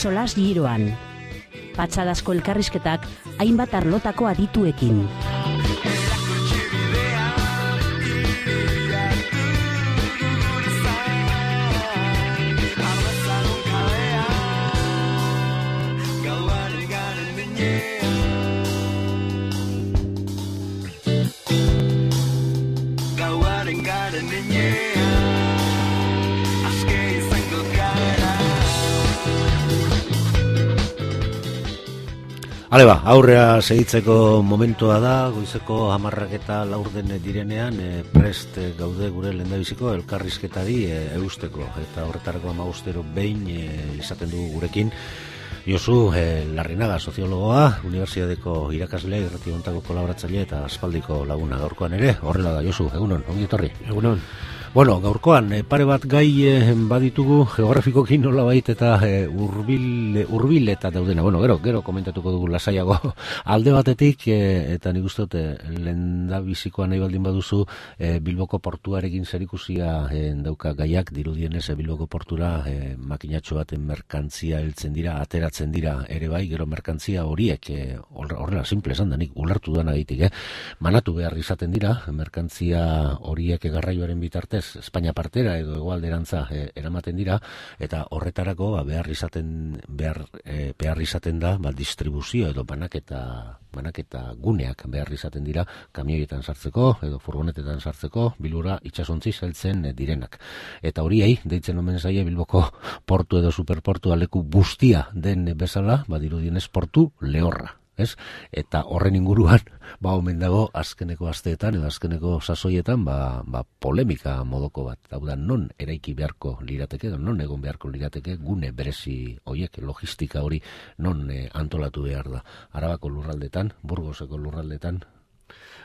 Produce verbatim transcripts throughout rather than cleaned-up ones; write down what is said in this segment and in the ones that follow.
solas giroan. Patxadazko elkarrizketak hainbat arlotako adituekin. Hale ba, aurrea segitzeko momentua da, goizeko hamarrak eta laurden direnean, e, prest gaude gure lehendabiziko elkarrizketari e, eusteko. Eta horretarako amagustero behin e, izaten dugu gurekin. Josu e, Larrinaga, soziologoa, Unibertsitateko irakaslea, irrati hontako kolaboratzaile eta aspaldiko laguna gaurkoan ere. Horrela da, Josu, egunon, ongi etorri. Egunon. Bueno, gaurkoan, e, pare bat gai e, baditugu geografikoki nolabait eta e, urbil, urbil eta daudena. Bueno, gero, gero komentatuko dugu lasaiago alde batetik, e, eta nik uste dut, lehendabizikoa nahi baldin baduzu, e, Bilboko portuarekin zerikusia e, dauka gaiak, dirudienez e, Bilboko portura e, makinatxo baten merkantzia heltzen dira, ateratzen dira ere bai, gero merkantzia horiek, e, horrela simple esan da, nik ulertu duan agitik, eh? manatu behar izaten dira, merkantzia horiek garraioaren bitartez, Espainia partera edo hegoalderantza e, eramaten dira, eta horretarako ba, behar izaten behar, e, behar izaten da ba, distribuzio edo banaketa banaketa guneak behar izaten dira kamioietan sartzeko edo furgonetetan sartzeko Bilbora itsasontzi heltzen direnak. Eta horiei deitzen omen zaie Bilboko portu edo superportua leku guztia den bezala, badirudienez portu lehorra. Ez? Eta horren inguruan ba omen dago azkeneko asteetan edo azkeneko sasoietan ba, ba polemika modoko bat. Hau da, non eraiki beharko lirateke, non egon beharko lirateke gune berezi hoiek, logistika hori non eh, antolatu behar da. Arabako lurraldetan, Burgoseko lurraldetan,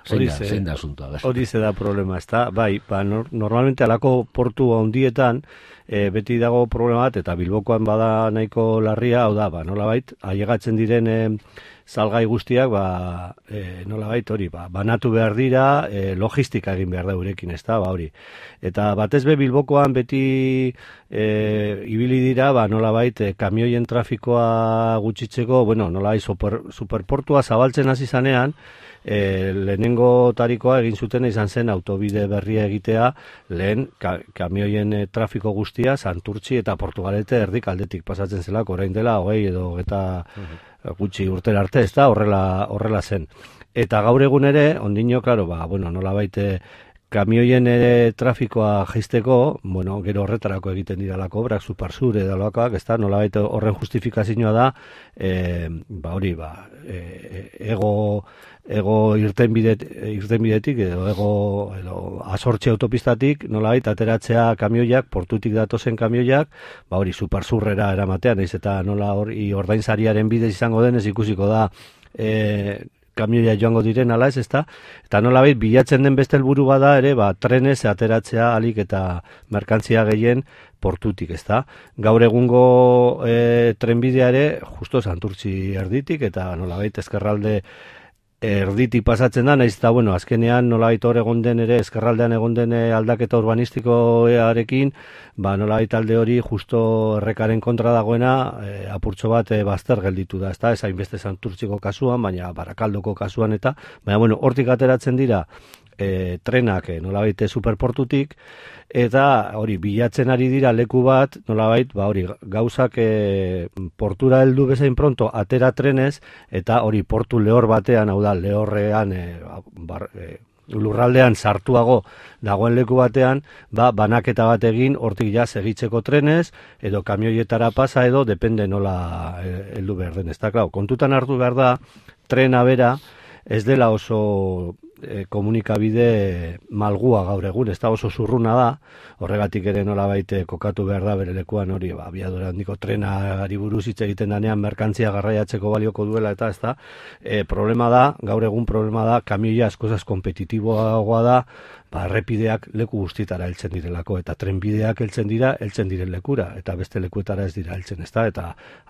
zein da, zein da asuntoa. Hori ze da problema, ezta? Bai, ba, no, normalmente alako portu handietan e, beti dago problema bat, eta Bilbokoan bada nahiko larria, hau da, ba, nolabait, ailegatzen diren e, salgai guztiak, ba, e, nolabait hori, ba, banatu behar dira, e, logistika egin behar da urekin, ezta, ba, hori. Eta batez be Bilbokoan beti e, ibili dira, ba, nolabait, e, kamioien trafikoa gutxitzeko, bueno, nolabait, super, superportua zabaltzen hasi zanean, E, lehenengo tarikoa egin zuten izan zen autobide berria egitea lehen ka, kamioien e, trafiko guztia Santurtzi eta Portugalete erdik aldetik pasatzen zelako, orain dela hogei edo eta gutxi urtera arte, ez da, horrela, horrela zen. Eta gaur egun ere, ondino, klaro, ba, bueno, nola baite kamioien ere trafikoa jaisteko, bueno, gero horretarako egiten dira lako obrak, Supersur edo lakoak, ez da, nola baite horren justifikazioa da, e, ba hori, ba, e, ego ego irtenbidet, irtenbidetik edo ego edo asortxe autopistatik nolabait ateratzea kamioiak, portutik datozen kamioiak, ba hori Supersurrera eramatean, naiz eta nola hori ordainsariaren bidez izango denez ikusiko da e, kamioia joango diren ala ez, ezta? Eta nolabait bilatzen den beste helburu bada ere, ba trenez ateratzea alik eta merkantzia gehien portutik, ezta? Gaur egungo e, trenbidea ere justo Santurtzi erditik eta nolabait ezkerralde erditik pasatzen da, naiz eta, bueno, azkenean nolabait hor egon den ere, ezkerraldean egon den aldaketa urbanistikoarekin, ba nolabait alde hori justo errekaren kontra dagoena, e, apurtxo bat e, bazter gelditu da, ezta, ez hainbeste Santurtziko kasuan, baina Barakaldoko kasuan eta, baina, bueno, hortik ateratzen dira e, trenak e, nolabait superportutik, eta hori bilatzen ari dira leku bat, nolabait, ba hori gauzak e, portura heldu bezain pronto atera trenez, eta hori portu lehor batean, hau da, lehorrean, e, bar, e, lurraldean sartuago dagoen leku batean, ba, banaketa bat egin, hortik ja segitzeko trenez, edo kamioietara pasa edo, depende nola heldu behar den, ez da, klar, kontutan hartu behar da, trena bera, ez dela oso e, komunikabide malgua gaur egun, ez da oso zurruna da, horregatik ere nolabait kokatu behar da bere lekuan hori, ba, abiadura handiko trenari buruz hitz egiten danean merkantzia garraiatzeko balioko duela eta ez da, e, problema da, gaur egun problema da, kamioia askozaz kompetitiboagoa da, ba, errepideak leku guztietara heltzen direlako, eta trenbideak heltzen dira, heltzen diren lekura, eta beste lekuetara ez dira heltzen, ezta, eta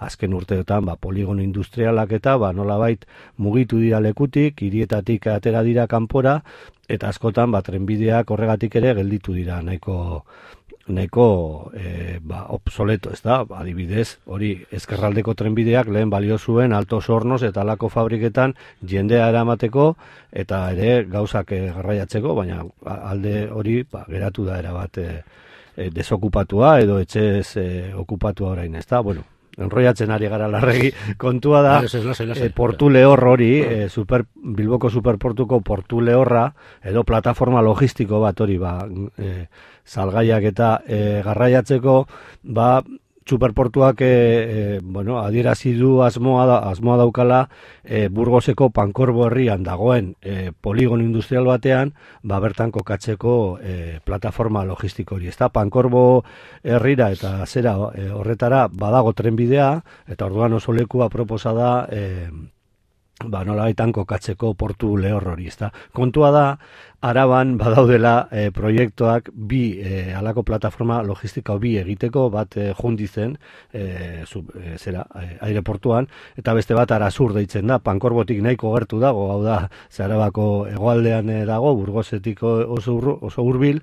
azken urteetan, ba, poligono industrialak eta, ba, nolabait mugitu dira lekutik, hirietatik atera dira kanpora, eta askotan, ba, trenbideak horregatik ere gelditu dira nahiko nahiko e, ba, obsoleto, ez da? Adibidez, hori ezkerraldeko trenbideak lehen balio zuen Altos Hornos eta alako fabriketan jendea eramateko eta ere gauzak e, garraiatzeko, baina alde hori ba, geratu da erabat e, e, desokupatua edo etxez e, okupatua orain, ez da? Bueno, enroiatzen ari gara larregi, kontua da e, portu lehor hori, e, super, Bilboko superportuko portu lehorra, edo plataforma logistiko bat hori, ba, e, salgaiak eta e, garraiatzeko, ba, superportuak e, e, bueno, adierazi du asmoa, da, asmoa daukala e, Burgoseko Pankorbo herrian dagoen e, poligono industrial batean, ba, bertan kokatzeko e, plataforma logistiko hori. Ezta Pankorbo herrira eta zera e, horretara badago trenbidea, eta orduan oso leku aproposa da e, ba, nolabaitan kokatzeko portu lehor hori, ezta. Kontua da, Araban badaudela e, proiektuak bi e, alako plataforma logistiko bi egiteko, bat e, jundizen e, sub, e, zera, e, aireportuan, eta beste bat Arasur deitzen da, Pankorbotik nahiko gertu dago, hau da, ze Arabako hegoaldean e, dago, Burgosetik oso, oso hurbil.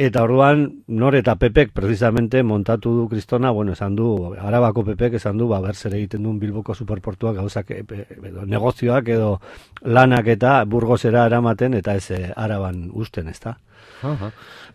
Eta orduan, nor eta Pepek precisamente montatu du kristona, bueno, esan du, Arabako Pepek esan du, ba, berzer egiten duen Bilboko superportuak gauzak, edo, negozioak edo lanak eta Burgosera eramaten, eta ez e, Araban usten, ez da? Aha.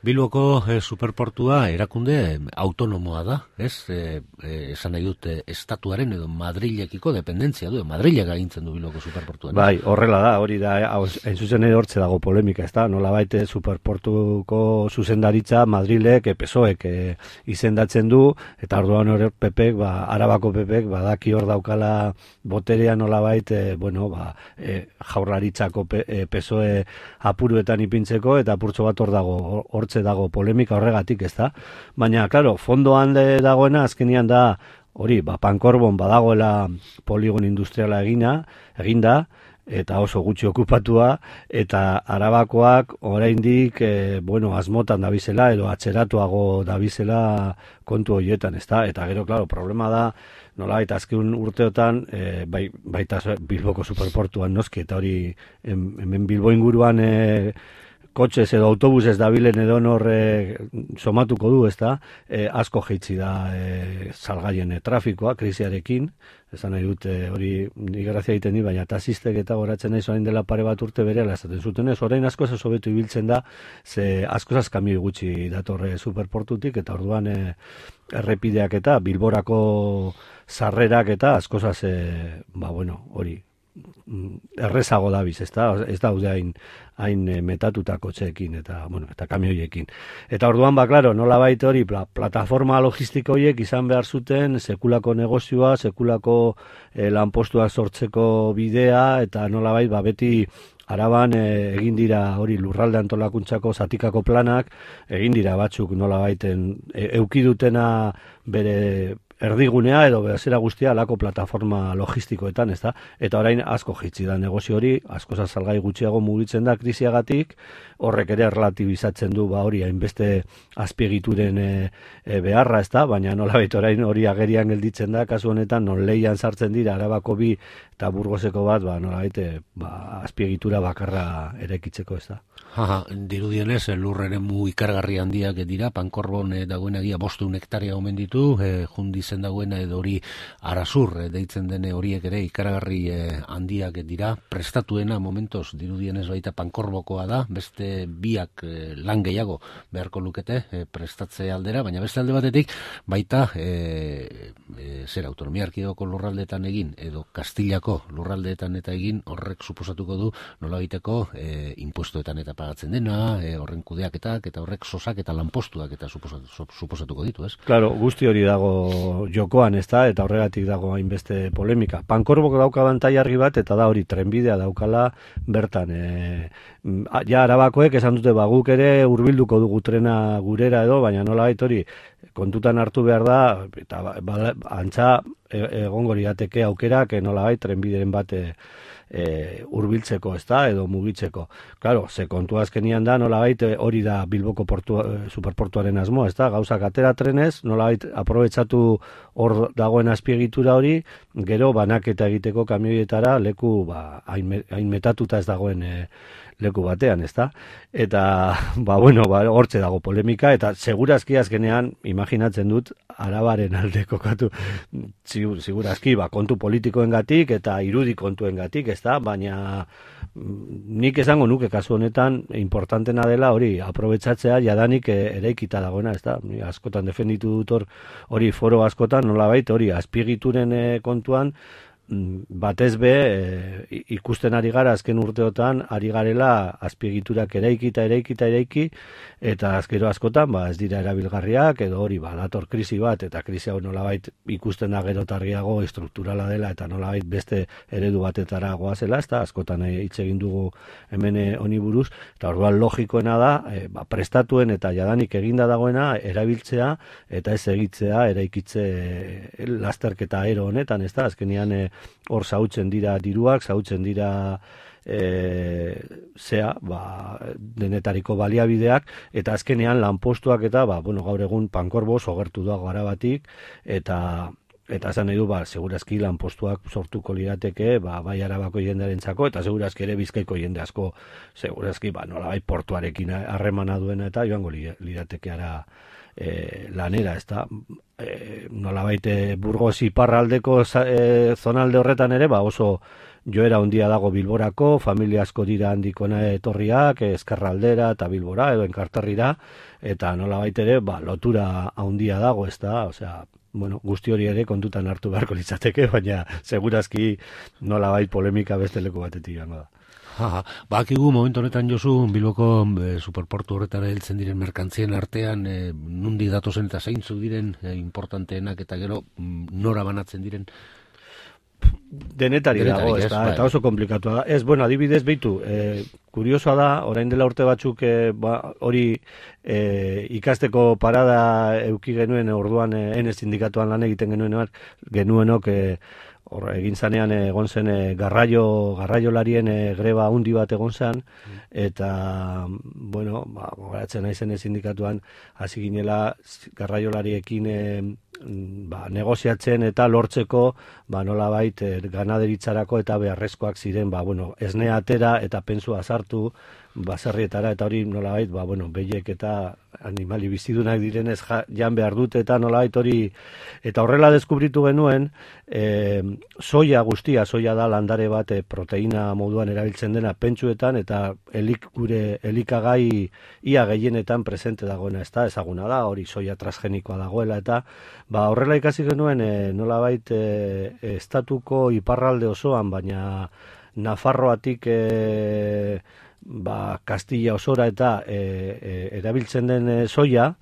Bilboko e, superportua erakunde autonomoa da, ez? E, e, esan nahi dut, e, estatuaren edo Madrilekiko dependentzia du, Madrilek agintzen du Bilboko superportuan. Bai, horrela da, hori da, hain zuzen ere hortze dago polemika, ez da? Nola baite superportuko zuzendaritza Madrilek, e, P S O Ek e, izendatzen du, eta orduan hori Pepek, ba, Arabako Pepek, badaki hor daukala boterea nola baite, bueno, ba, e, jaurlaritzako e, P S O E apuruetan ipintzeko, eta apurtxo bat hor dago, hortze dago polemika horregatik, ez da? Baina, klaro, fondoan de dagoena, azkenian da, hori, ba, Pankorbon badagoela poligon industriala egina, eginda, eta oso gutxi okupatua, eta Arabakoak oraindik, e, bueno, asmotan dabizela, edo atzeratuago dabizela kontu horietan, ez da? Eta gero, klaro, problema da, nola, eta azken urteotan, e, bai, baita Bilboko superportuan noski, eta hori, hemen Bilbo inguruan, e, kotxez edo autobusez dabilen edo norre somatuko du, ez da, e, asko jeitzi da e, salgaien e, trafikoa, krisiarekin, esan nahi dute hori igrazia egiten di, baina tasistek eta goratzen nahi orain dela pare bat urte berehala esaten zuten ez, orain asko ez hobetu ibiltzen da, ze asko ez kamioi gutxi datorre superportutik, eta orduan e, errepideak eta Bilborako sarrerak eta asko ez, e, ba bueno, hori, errezago dabiz, ez da, ez daude hain, hain metatuta kotxeekin eta, bueno, eta kamioiekin. Eta orduan, ba, klaro, nola baita hori, pla, plataforma logistiko horiek izan behar zuten sekulako negozioa, sekulako eh, lanpostuak sortzeko bidea, eta nola baita, ba, beti Araban e, egin dira hori lurralde antolakuntzako zatikako planak, egin dira batzuk nola baiten e, eukidutena bere erdigunea edo bezera guztia alako plataforma logistikoetan, ez da? Eta orain asko jitsi da negozio hori, asko salgai gutxiago mugitzen da krisiagatik, horrek ere relatibizatzen du ba hori hainbeste azpiegituren e, e, beharra, ez da? Baina nolabait orain hori agerian gelditzen da, kasu honetan non leian sartzen dira Arabako bi eta Burgoseko bat, ba nolabait ba azpiegitura bakarra erekitzeko, ez da? Aha, dirudienez, lurreren mu ikargarri handiak dira, Pankorbon e, dagoen egia bosteun hektaria omen ditu, e, jundizen dagoena edo hori Arasur e, deitzen dene horiek ere ikargarri e, handiak dira, prestatuena momentos dirudienez baita Pankorbokoa da, beste biak e, lan gehiago beharko lukete e, prestatze aldera, baina beste alde batetik baita e, e, zer autonomia erkidegoko lurraldeetan egin edo Kastilako lurraldeetan eta egin horrek suposatuko du nola egiteko e, impuestoetan eta pagatzen dena, e, horren kudeaketak eta horrek sosak eta lanpostuak eta suposatu, suposatuko ditu, ez? Claro, guzti hori dago jokoan, ez da, eta horregatik dago hainbeste polemika. Pankorbok dauka bantaiarri bat, eta da hori trenbidea daukala bertan. E, ja, Arabakoek esan dute baguk ere hurbilduko dugu trena gurera edo, baina nola bait hori kontutan hartu behar da, eta ba, ba, antza egongo lirateke aukerak nola bait trenbideren bat e, E, urbiltzeko, ez da, edo mugitzeko. Claro, ze kontu azkenian da, nolabait hori da Bilboko portu, superportuaren asmoa, ez da, gauzak atera trenez, nolabait aprobetsatu hor dagoen azpiegitura hori, gero banaketa egiteko kamioietara leku ba, hain, hain metatuta ez dagoen e, leku batean, ezta? Eta, ba, bueno, ba, hortze dago polemika, eta segurazki azkenean, imaginatzen dut, Arabaren alde kokatu, segurazki, ba, kontu politikoengatik eta irudi kontuengatik, ezta? Baina nik esango nuke kasu honetan, importantena dela hori, aprobetsatzea jadanik eraikita dagoena, ezta? Askotan defenditu dut hor, hori foro askotan, nolabait, hori, azpiegituren kontuan, batez be e, ikusten ari gara azken urteotan ari garela azpiegiturak eraikita eraikita eraiki eta azkero askotan ba ez dira erabilgarriak edo hori ba dator krisi bat eta krisi hau nolabait ikusten da gero targiago estrukturala dela eta nolabait beste eredu batetara goazela, ezta askotan hitz egin dugu hemen honi buruz eta orduan logikoena da e, ba, prestatuen eta jadanik eginda dagoena erabiltzea eta ez egitzea eraikitze e, lasterketa ero honetan, ezta azkenean e, hor zautzen dira diruak, zautzen dira e, zea, ba, denetariko baliabideak, eta azkenean lanpostuak eta, ba, bueno, gaur egun Pankorbo sogertu dago Arabatik, eta eta esan nahi du, ba, segurazki lanpostuak sortuko lirateke, ba, bai Arabako jendearentzako, eta segurazki ere Bizkaiko jende asko, segurazki, ba, nolabait portuarekin harremana duena, eta joango lirateke ara E, lanera, ez da, e, nolabait Burgos iparraldeko e, zonalde horretan ere, ba oso joera handia dago Bilborako, familia asko dira handikona etorriak, Ezkerraldera eta Bilbora, edo Enkarterrira, eta nolabait ere, ba, lotura handia dago, ez da, osea, bueno, guzti hori ere kontutan hartu beharko litzateke, baina segurazki nolabait polemika beste leku batetik joango da. Ha, bakigu momentu honetan Josu Bilboko e, superportu horretara heltzen diren merkantzien artean e, nundi datozen eta zeintzu diren e, importanteenak eta gero nora banatzen diren denetari dago, ez da, eta oso komplikatua da. Ez, bueno, adibidez behitu, e, kuriosoa da, orain dela urte batzuk e, ba, hori e, ikasteko parada euki genuen orduan e, ene sindikatuan lan egiten genuen genuenok e, hor egin zanean egon zen e, garraio garraiolarien e, greba handi bat egon zen eta bueno, ba gogoratzen naizen sindikatuan hasi ginela garraiolariekin e, ba, negoziatzen eta lortzeko ba nolabait e, ganaderitzarako eta beharrezkoak ziren ba bueno, esnea atera eta pensua sartu baserrietara eta hori nolabait ba bueno, behiek eta animali bizidunak direnez ja, jan behar dute eta nolabait hori eta horrela deskubritu genuen e, soia guztia, soia da landare bat e, proteina moduan erabiltzen dena pentsuetan eta elik gure elikagai ia gehienetan presente dagoena, ez da, ezaguna da, hori soia transgenikoa dagoela eta ba horrela ikasi genuen e, nolabait e, estatuko iparralde osoan, baina Nafarroatik e, ba, Kastilla osora eta e, e, erabiltzen den e, soia,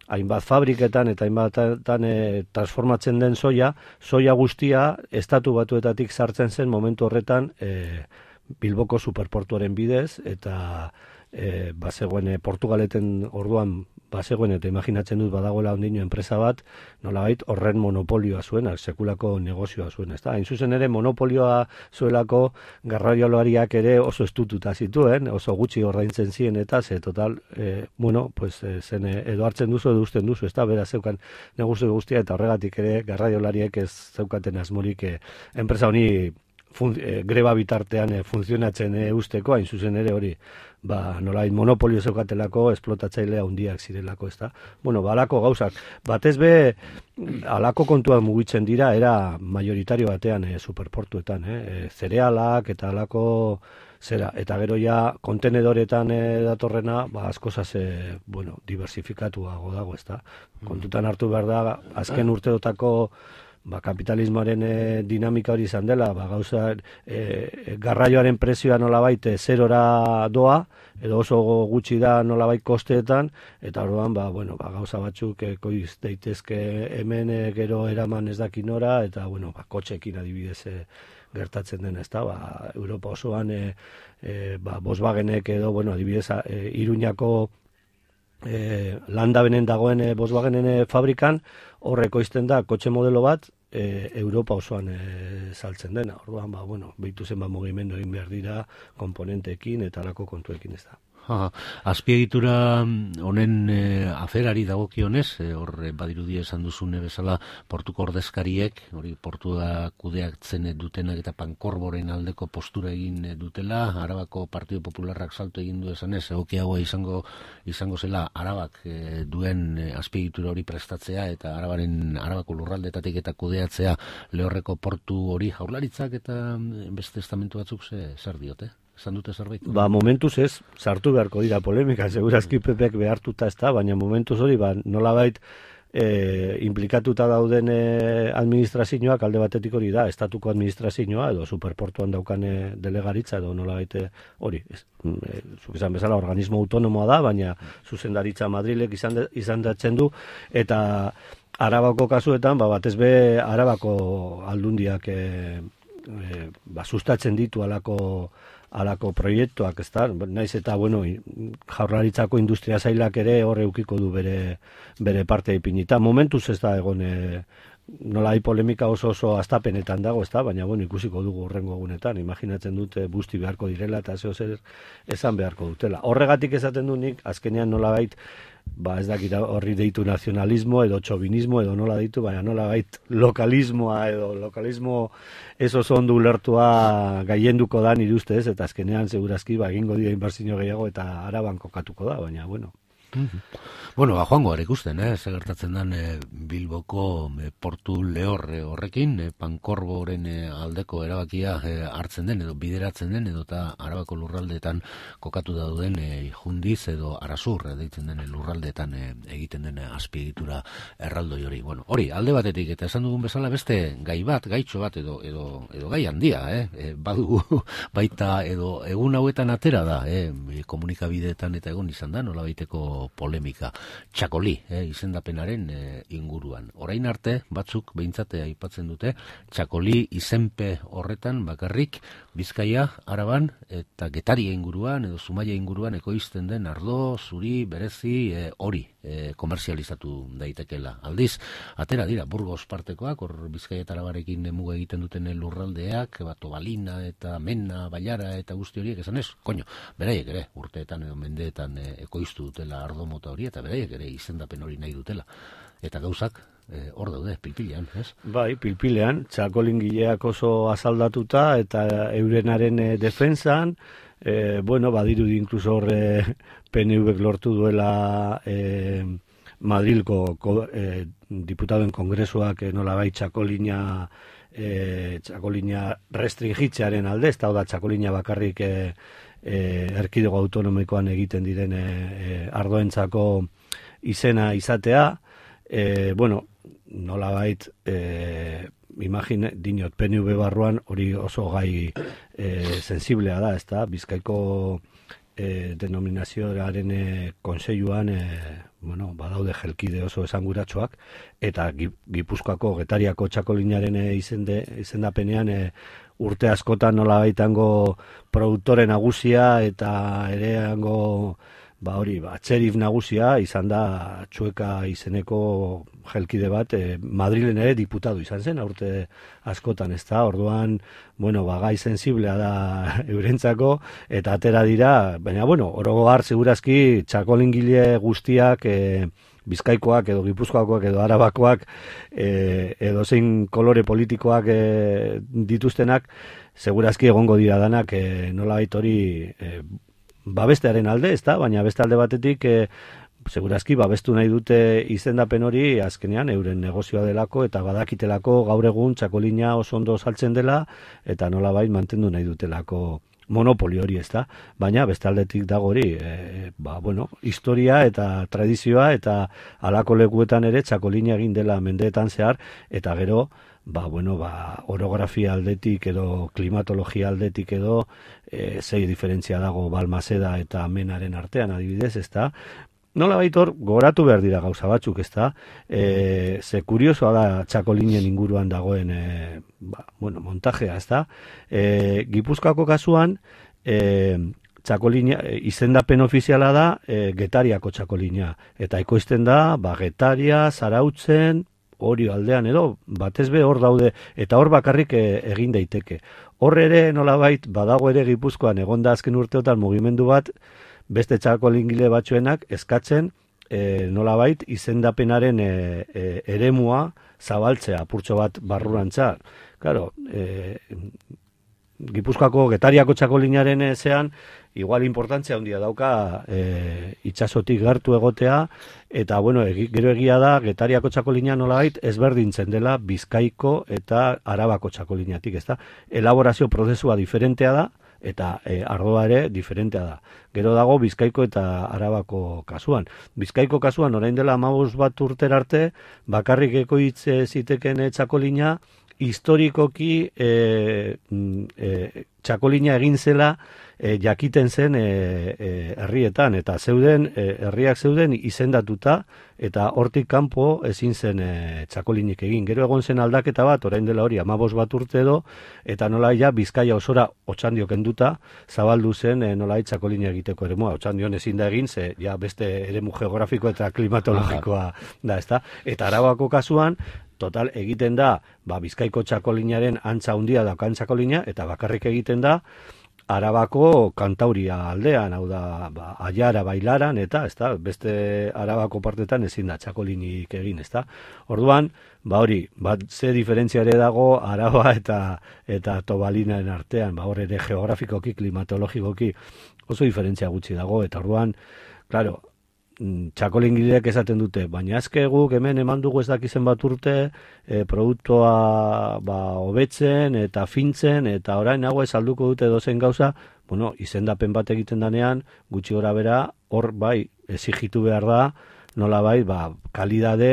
hainbat fabriketan eta hainbatetan e, transformatzen den soia, soia guztia estatu batuetatik sartzen zen momentu horretan e, Bilboko superportuaren bidez, eta e, bazegoen e, Portugaleten orduan bazegoen eta imaginatzen dut badagoela ondino enpresa bat, nolabait horren monopolioa zuen, sekulako negozioa zuen, ezta? Hain zuzen ere monopolioa zuelako garraiolariak ere oso estututa zituen, oso gutxi ordaintzen ziren eta ze total, e, bueno, pues e, zen edo hartzen duzu edo usten duzu, ezta? Beraz zeukan negozio guztia eta horregatik ere garraiolariek ez zeukaten asmorik e, enpresa honi fun, e, greba bitartean e, funtzionatzen e, usteko, hain zuzen ere hori ba, nolait monopolio zeukatelako, esplotatzailea handiak zirelako, ezta? Bueno, ba, alako gauzak. Batez be, alako kontuak mugitzen dira, era majoritario batean e, superportuetan, eh? Zerealak eta alako zera. Eta gero ja, kontenedoretan e, datorrena, ba, askozaz, e, bueno, diversifikatuago dago, ezta? Kontutan hartu behar da, azken urteotako ba, kapitalismoaren e, dinamika hori izan dela, ba, gauza e, garraioaren prezioa nolabait e, zerora doa, edo oso gutxi da nolabait kosteetan, eta orduan ba, bueno, ba, gauza batzuk e, koiz daitezke hemen e, gero eraman ez dakinora, eta bueno, ba, kotxekin adibidez e, gertatzen den, ezta, ba, Europa osoan e, e, ba, Volkswagenek edo, bueno, adibidez e, Iruñako e, landabenen dagoen e, Volkswagenen e, fabrikan, horreko izten da kotxe modelo bat, E, Europa osoan e, saltzen dena. Orduan, ba, bueno, behitu zen ba, mugimendu egin behar dira komponenteekin eta alako kontuekin ez da. Ha, azpiegitura honen e, aferari dagokionez, e, hor e, badirudi esan duzune bezala portuko ordezkariek, hori portua kudeatzen dutenak eta Pankorboren aldeko postura egin dutela, Arabako Partido Popularrak salto egin du esanez, egokiagoa izango izango zela Arabak e, duen e, azpiegitura hori prestatzea eta Arabaren Arabako lurraldetatik eta kudeatzea Lehorreko portu hori. Jaurlaritzak eta beste estamentu batzuk ze, zer diote? Esan dute zerbait? Ba, momentuz ez, sartu beharko dira polemika, segurazki Pepek behartuta ez da, baina momentuz hori, ba, nolabait e, implikatuta dauden e, administrazioak alde batetik hori da, estatuko administrazioa edo superportuan daukan e, delegaritza edo nolabait e, hori, ez, e, zuk esan bezala organismo autonomoa da, baina zuzendaritza Madrilek izan, de, izan datzen du, eta Arabako kasuetan, ba, batez be Arabako aldundiak e, e, ba, sustatzen ditu alako alako proiektuak, ez da, naiz eta, bueno, Jaurlaritzako industria zailak ere horre eukiko du bere, bere parte ipinita. Momentuz ez da egon, e, nola hai polemika oso oso astapenetan dago, ez da, baina, bueno, ikusiko dugu horrengo egunetan, imaginatzen dute busti beharko direla eta zeo zer esan beharko dutela. Horregatik esaten du nik, azkenean nola bait, ba ez dakit horri deitu nazionalismo edo txobinismo edo nola deitu, baina nola bait lokalismoa edo lokalismo ez oso ondo ulertua gaienduko da nire ustez, eta azkenean segurazki ba egingo dira inbertsio gehiago eta Araban kokatuko da, baina bueno. Bueno, ba, joango gara ikusten, eh? Zer gertatzen den eh, Bilboko eh, portu lehorre horrekin, eh, Pankorboren eh, aldeko erabakia eh, hartzen den edo bideratzen den edo eta Arabako lurraldeetan kokatu dauden eh, Jundiz edo Arasur eh, deitzen den lurraldeetan eh, egiten den eh, azpiegitura erraldoi hori. Bueno, hori alde batetik eta esan dugun bezala beste gai bat, gaitxo bat edo edo edo gai handia, eh? E, badu baita edo egun hauetan atera da, eh? Komunikabideetan eta egon izan da nolabaiteko polemika. Txakoli, eh, izendapenaren eh, inguruan. Orain arte, batzuk behintzate aipatzen dute, Txakoli izenpe horretan bakarrik Bizkaia, Araban eta Getaria inguruan edo Zumaia inguruan ekoizten den ardo, zuri, berezi, eh, hori eh, komerzializatu daitekela. Aldiz, atera dira, Burgos partekoak, hor Bizkaia eta Arabarekin muga egiten duten lurraldeak, bato Balina eta Mena, Baiara eta guzti horiek esan ez, koño, beraiek ere, urteetan edo mendeetan eh, ekoiztu dutela ardo mota hori eta beraiek ere izendapen hori nahi dutela. Eta gauzak eh, hor daude, pilpilean, ez? Bai, pilpilean, txakolingileak oso azaldatuta eta eurenaren e, defensan, e, bueno, badirudi inkluso horre P N V lortu duela e, Madrilko ko, e, diputadoen kongresuak e, nolabait txakolina e, txakolina restringitzearen alde, ez da txakolina bakarrik e, e, erkidego autonomikoan egiten diren e, e, ardoentzako izena izatea, e, bueno, nolabait, e, imagine, dinot, P N V barruan hori oso gai e, sensiblea da, ez da, Bizkaiko e, denominazioaren e, konseiluan, e, bueno, badaude jelkide oso esanguratsuak, eta Gipuzkoako Getariako txakolinaren e, izende, izendapenean e, urte askotan nolabaitango produktore nagusia eta ere hango ba hori, ba, txerif nagusia izan da Txueka izeneko jelkide bat, e, Madrilen ere diputatu izan zen, urte askotan, ez da, orduan, bueno, ba, gai sensiblea da eurentzako, eta atera dira, baina, bueno, orogo har, segurazki, txakolingile guztiak, e, Bizkaikoak edo Gipuzkoakoak edo Arabakoak e, edo zein kolore politikoak e, dituztenak, segurazki egongo dira danak e, nolabait hori e, babestearen alde, ez da, baina beste alde batetik e, segurazki babestu nahi dute izendapen hori azkenean euren negozioa delako eta badakitelako gaur egun txakolina oso ondo saltzen dela eta nolabait mantendu nahi dutelako monopoli hori, ez da, baina beste aldetik dago hori, e, ba, bueno, historia eta tradizioa eta alako lekuetan ere txakolina egin dela mendeetan zehar, eta gero, ba, bueno, ba, orografia aldetik edo klimatologia aldetik edo e, zei diferentzia dago Balmaseda eta Menaren artean adibidez, ez da, nola baitor, goratu behar dira gauza batzuk, ez da, e, ze kuriosoa da txakolinen inguruan dagoen, e, ba, bueno, montajea, ez da, e, Gipuzkoako kasuan, e, txakolina, izendapen ofiziala da, e, Getariako txakolina, eta ekoizten da, ba, Getaria, Zarautzen, hori aldean edo, batez be hor daude, eta hor bakarrik e, egin daiteke. Hor ere, nolabait, badago ere Gipuzkoan, egonda azken urteotan mugimendu bat, beste txakolingile batzuenak eskatzen e, nolabait izendapenaren e, e, eremua zabaltzea, apurtxo bat barrurantza. Claro, e, Gipuzkoako Getariako txakolinaren ezean, igual importantzia handia dauka e, itsasotik gertu egotea, eta bueno, egi, gero egia da, Getariako txakolina nolabait ezberdintzen dela Bizkaiko eta Arabako txakolinatik, ezta? Elaborazio prozesua diferentea da, eta e, ardoa ere diferentea da. Gero dago Bizkaiko eta Arabako kasuan. Bizkaiko kasuan, orain dela hamabost bat urtera arte, bakarrik ekoitz ziteken txakolina, historikoki e, e, txakolina egin zela e, jakiten zen e, e, herrietan, eta zeuden, e, herriak zeuden izendatuta, eta hortik kanpo ezin zen e, txakolinik egin. Gero egon zen aldaketa bat, orain dela hori, hamabost bat urte edo, eta nola ja Bizkaia osora Otxandio kenduta, zabaldu zen e, nola txakolina egiteko eremua. Otxandion ezin da egin, ze ja beste eremu geografiko eta klimatologikoa da, ezta? Eta Arabako kasuan, total, egiten da, ba, Bizkaiko txakolinaren antza handia daukan txakolina, eta bakarrik egiten da, Arabako Kantauria aldean, hau da, ba, Aiara, Bailaran, eta, ezta, beste Arabako partetan ezin da txakolinik egin, ezta. Orduan, ba hori, bat ze diferentzia ere dago Araba eta eta Tobalinaren artean, ba hor ere geografikoki, klimatologikoki oso diferentzia gutxi dago, eta orduan, claro, txakolingileak esaten dute, baina azke guk hemen eman dugu ez dakizen bat urte e, produktua ba, hobetzen eta fintzen, eta orain hau ez alduko dute dozen gauza, bueno, izendapen bat egiten danean, gutxi gora bera, hor bai, exigitu behar da, nola bai, ba, kalidade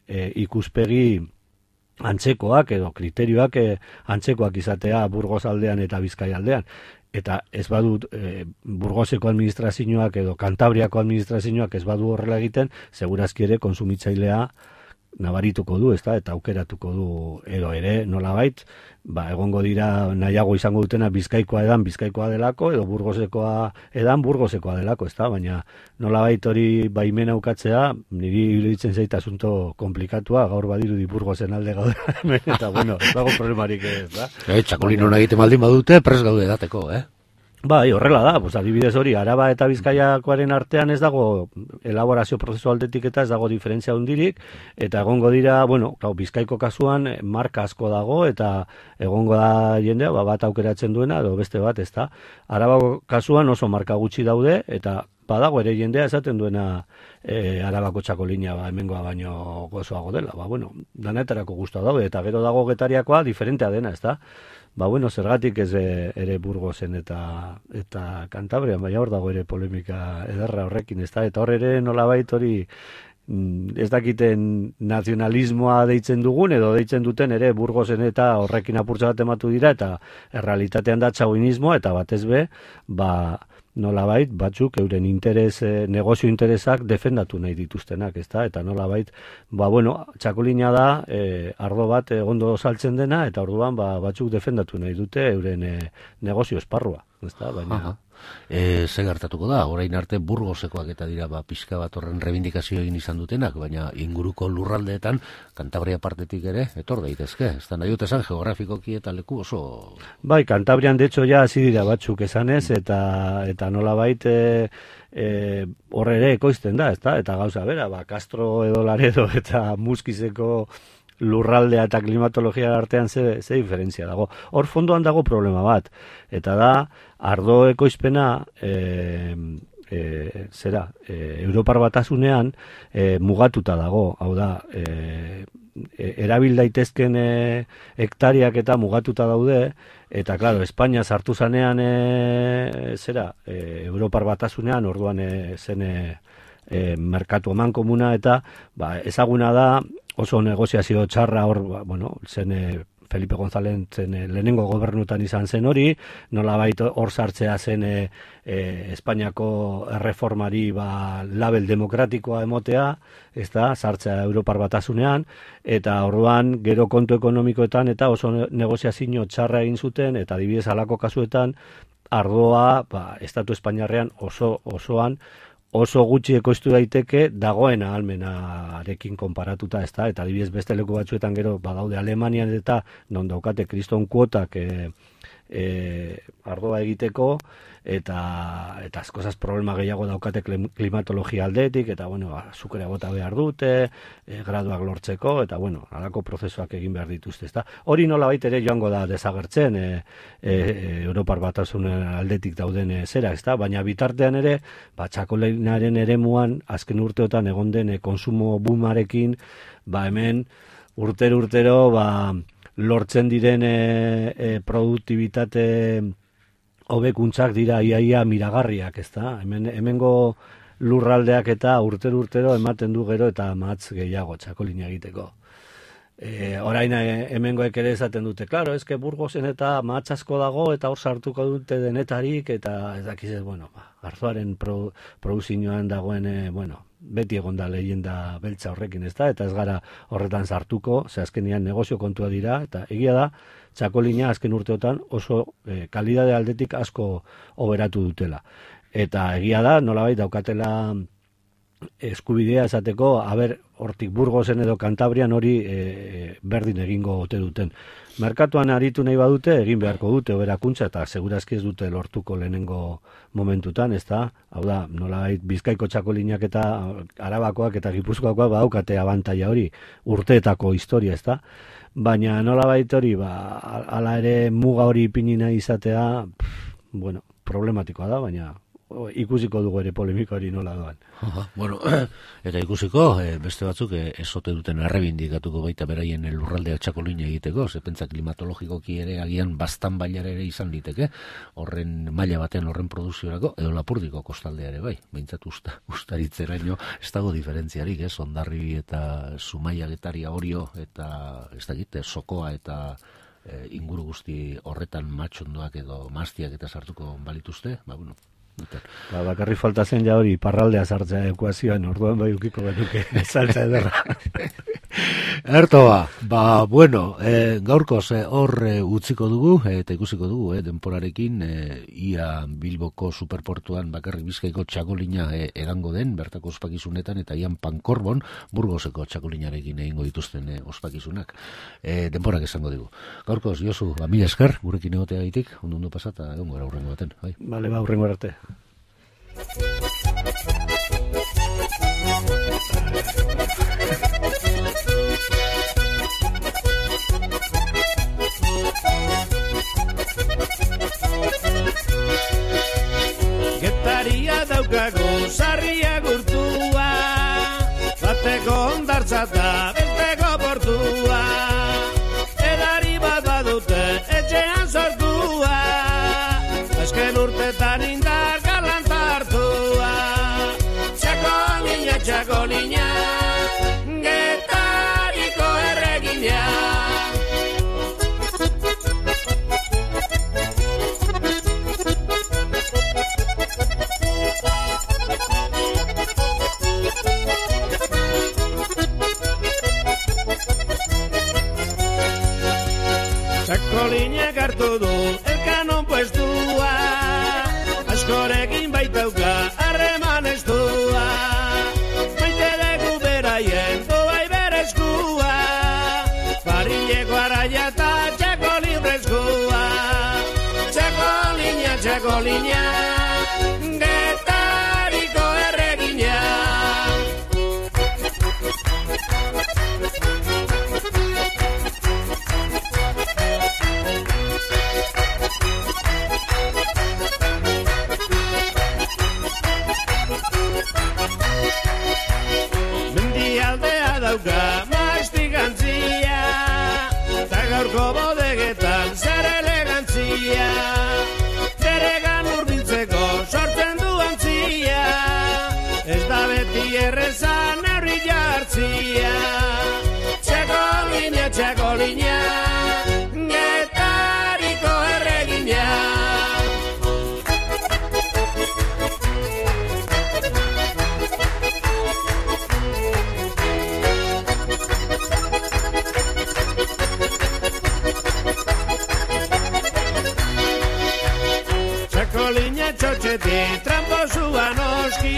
e, ikuspegi antzekoak edo kriterioak e, antzekoak izatea Burgos aldean eta Bizkaia aldean. Eta ez badut e, Burgoseko administrazioak edo Kantabriako administrazioak ez badu horrela egiten, segurazki ere konsumitzailea nabarituko du, ezta, eta aukeratuko du edo ere nolabait, ba, egongo dira nahiago izango dutena Bizkaikoa edan Bizkaikoa delako, edo Burgosekoa edan Burgosekoa delako, ezta, baina nolabait hori baimen aukatzea, niri iruditzen zait asunto komplikatua, gaur badirudi Burgosen alde gaude, eta bueno, ez dago problemarik ez, da? E, txakolin hona egiten baldin badute, pres gaude dateko, eh? Bai, horrela da, pues, adibidez hori, Araba eta Bizkaiakoaren artean ez dago elaborazio prozesu aldetik eta ez dago diferentzia hundirik, eta egongo dira, bueno, klar, Bizkaiko kasuan marka asko dago, eta egongo da jendea, ba, bat aukeratzen duena, edo beste bat, ez da. Arabako kasuan oso marka gutxi daude, eta badago ere jendea esaten duena e, Arabako txakolina ba, hemengoa baino gozoago dela. Ba, bueno, danetarako guztua daude, eta gero dago Getariakoa diferentea dena, ez da. Ba, bueno, zergatik ez ere Burgosen eta eta Kantabrian, baina hor dago ere polemika ederra horrekin, ez da, eta hor ere nolabait hori ez dakiten nazionalismoa deitzen dugun, edo deitzen duten ere Burgosen eta horrekin apurtza bat ematu dira, eta errealitatean da txauinismoa, eta batez be, ba, nolabait, batzuk euren interes, eh, negozio interesak defendatu nahi dituztenak, ezta? Eta nolabait, ba, bueno, txakolina da, eh, ardo bat ondo saltzen dena, eta orduan, ba, batzuk defendatu nahi dute euren eh, negozio esparrua, ezta? Baina... E, ze gertatuko da, orain arte Burgosekoak eta dira ba, pixka bat horren rebindikazio egin izan dutenak, baina inguruko lurraldeetan Kantabria partetik ere etor daitezke, ez da nahi dut esan geografikoki eta leku oso... Bai, Kantabrian de hecho ja hasi dira batzuk esanez, eta eta nolabait e, e, horre ere ekoizten da, ezta? Eta gauza bera, ba, Castro edo Laredo eta Muskizeko lurraldea eta klimatologia artean ze, ze diferentzia dago. Hor fondoan dago problema bat, eta da ardo ekoizpena e, e, zera, e, Europar Batasunean e, mugatuta dago, hau da, e, e, erabil daitezken e, hektariak eta mugatuta daude, eta claro, Espainia sartu zanean e, zera, e, Europar Batasunean, orduan e, zen e, e, merkatu eman komuna, eta ba, ezaguna da oso negoziazio txarra hor, ba, bueno, zen e, Felipe González zen e, lehenengo gobernutan izan zen hori, nolabait hor sartzea zen e, e, Espainiako erreformari ba, label demokratikoa emotea, ez da, sartzea Europar Batasunean, eta orduan gero kontu ekonomikoetan eta oso negoziazio txarra egin zuten, eta adibidez halako kasuetan, ardoa, ba, Estatu Espainiarrean oso, osoan, oso gutxi ekoiztu daiteke dagoen ahalmenarekin konparatuta, ez da, eta adibidez beste leku batzuetan gero badaude Alemanian eta non daukate kriston kuotak e, e, ardoa egiteko, eta eta askozaz problema gehiago daukate klimatologia aldetik, eta bueno, azukrea bota behar dute, e, graduak lortzeko, eta bueno, halako prozesuak egin behar dituzte, ezta? Hori nolabait ere joango da desagertzen, e, e, Europar Batasunen aldetik dauden e, zera, ezta? Baina bitartean ere, ba, txakolinaren eremuan azken urteotan egon den e, konsumo boomarekin, ba hemen urtero urtero ba, lortzen diren e, e, produktibitate hobekuntzak dira iaia miragarriak, ezta? Hemen hemengo lurraldeak eta urtero urtero ematen du gero eta matz gehiago txakolina egiteko. E, orain hemengoek ere esaten dute, claro, eske Burgosen eta matz asko dago eta hor sartuko dute denetarik eta ez dakiz, bueno, arzoaren pro, produzioan dagoen, e, bueno, beti egon da leyenda beltza horrekin, ezta? Eta ez gara horretan sartuko, ze azkenean negozio kontua dira, eta egia da, txakolina azken urteotan oso e, kalidade aldetik asko oberatu dutela. Eta egia da, nolabait daukatela eskubidea esateko, haber, hortik Burgosen edo Kantabrian hori e, berdin egingo ote duten. Merkatuan aritu nahi badute, egin beharko dute oberakuntza, eta segurazki ez dute lortuko lehenengo momentutan, ez da? Hau da, nolabait Bizkaiko txakolinak eta Arabakoak eta Gipuzkoakoak badaukate abantaila hori, urteetako historia, ez da? Baina nolabait hori, ba, ala ere muga hori ipini nahi izatea, pff, bueno, problematikoa da, baina ikusiko dugu ere polemika hori nola doan. Aha, bueno, eta ikusiko, e, beste batzuk e, esote duten errebindikatuko baita beraien lurraldea txakolina egiteko, ze pentsa klimatologikoki ere agian bastan bailara ere izan liteke, horren maila baten horren produziorako, edo Lapurdiko kostaldea ere bai, behintzat usta, ustaritzeraino ez dago diferentziarik, ez, Hondarribi eta Zumaia Getaria Orio, eta ez dakit, Sokoa eta e, inguru guzti horretan matxondoak edo maztiak eta sartuko balituzte, ba, bueno, Ba, bakarri falta zen ja hori parraldea sartzea ekuazioan, orduan bai ukiko genuke saltza ederra. Ertoa, ba, bueno, e, gaurkoz e, hor e, utziko dugu, e, eta ikusiko dugu, e, denporarekin, e, ia Bilboko superportuan bakarrik Bizkaiko txakolina e, edango den, bertako ospakizunetan, eta ian Pankorbon, Burgoseko txakolinarekin egingo dituzten e, ospakizunak. E, denporak esango dugu. Gaurkoz, Josu, ba, mila esker, gurekin egotea gaitik, ondo ondo pasata, egon gara urrengo baten. Bai. Bale, ba, urrengo arte. Getaria daukagu sarria gurtua, bateko ondartza da besteko portua, edari bat badute etxean sortua, azken urtetan indar galanta hartua, txakolina, txakolina, Getariko erregina. Txakolinak hartu du elkanon puestua, askorekin baitauka harreman estua, maite dugu beraien doai berezkua, parileko araia eta txakolin brezkua, txakolina, txakolina, Getariko erregina. Mendialdea dauka maiztigantzia, eta gaurko bodegetan zer elegantzia, beregan hurbiltzeko sortzen du antzia, ez da beti errezan neurri jartzia, txakolina, txakolina, Getariko erregina. Txakolina txotxetik tramposua noski,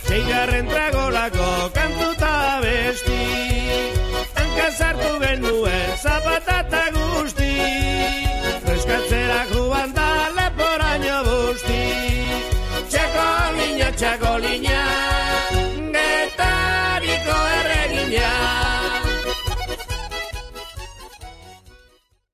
seigarren tragolako kantuta besti, hankazartu genuen zapatata guzti, freskatzera txako lina